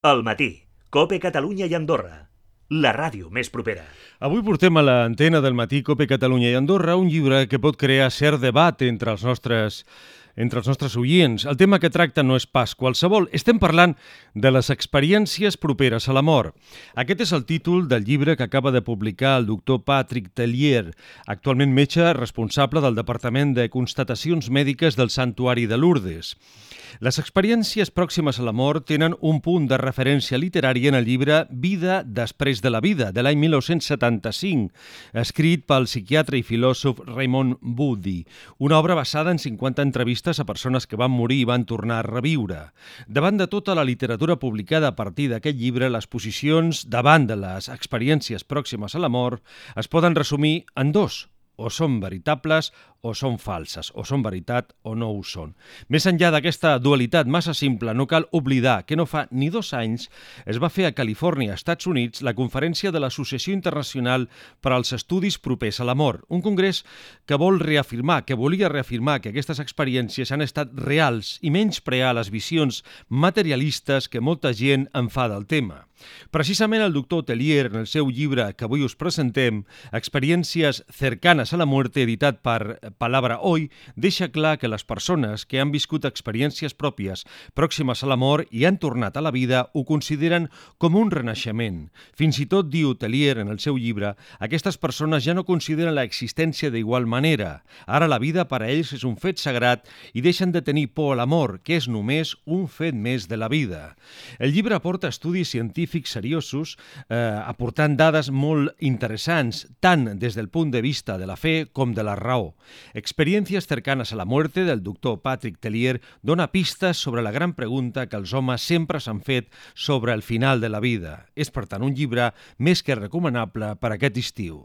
Al matí, COPE Catalunya i Andorra, la ràdio més propera. Avui portem a l'antena del matí COPE Catalunya i Andorra un llibre que pot crear cert debat entre els nostres oients. El tema que tracta no és pas qualsevol. Estem parlant de les experiències properes a la mort. Aquest és el títol del llibre que acaba de publicar el doctor Patrick Tellier, actualment metge responsable del Departament de Constatacions Mèdiques del Santuari de Lourdes. Les experiències pròximes a la mort tenen un punt de referència literària en el llibre Vida després de la vida, de l'any 1975, escrit pel psiquiatre i filòsof Raymond Moody, una obra basada en 50 entrevistes a persones que van morir i van tornar a reviure. Davant de tota la literatura publicada a partir d'aquest llibre, les posicions davant de les experiències pròximes a la mort es poden resumir en dos: o són veritables o són falses, o són veritat o no ho són. Més enllà d'aquesta dualitat massa simple, no cal oblidar que no fa ni 2 anys es va fer a Califòrnia, Estats Units, la conferència de l'Associació Internacional per als Estudis Propers a la Mort, un congrés que volia reafirmar que aquestes experiències han estat reals i menysprear les visions materialistes que molta gent en fa del tema. Precisament el doctor Tellier, en el seu llibre que avui us presentem, Experiències cercanes a la muerte, editat per Palabra Hoy, deixa clar que les persones que han viscut experiències pròpies pròximes a la mort i han tornat a la vida ho consideren com un renaixement. Fins i tot, diu Tellier en el seu llibre, aquestes persones ja no consideren l'existència d'igual manera. Ara la vida per a ells és un fet sagrat i deixen de tenir por a la mort, que és només un fet més de la vida. El llibre aporta estudis científics seriosos, aportant dades molt interessants, tant des del punt de vista de la fe com de la raó. Experiències cercanes a la muerte del doctor Patrick Tellier dona pistes sobre la gran pregunta que els homes sempre s'han fet sobre el final de la vida. És, per tant, un llibre més que recomanable per aquest estiu.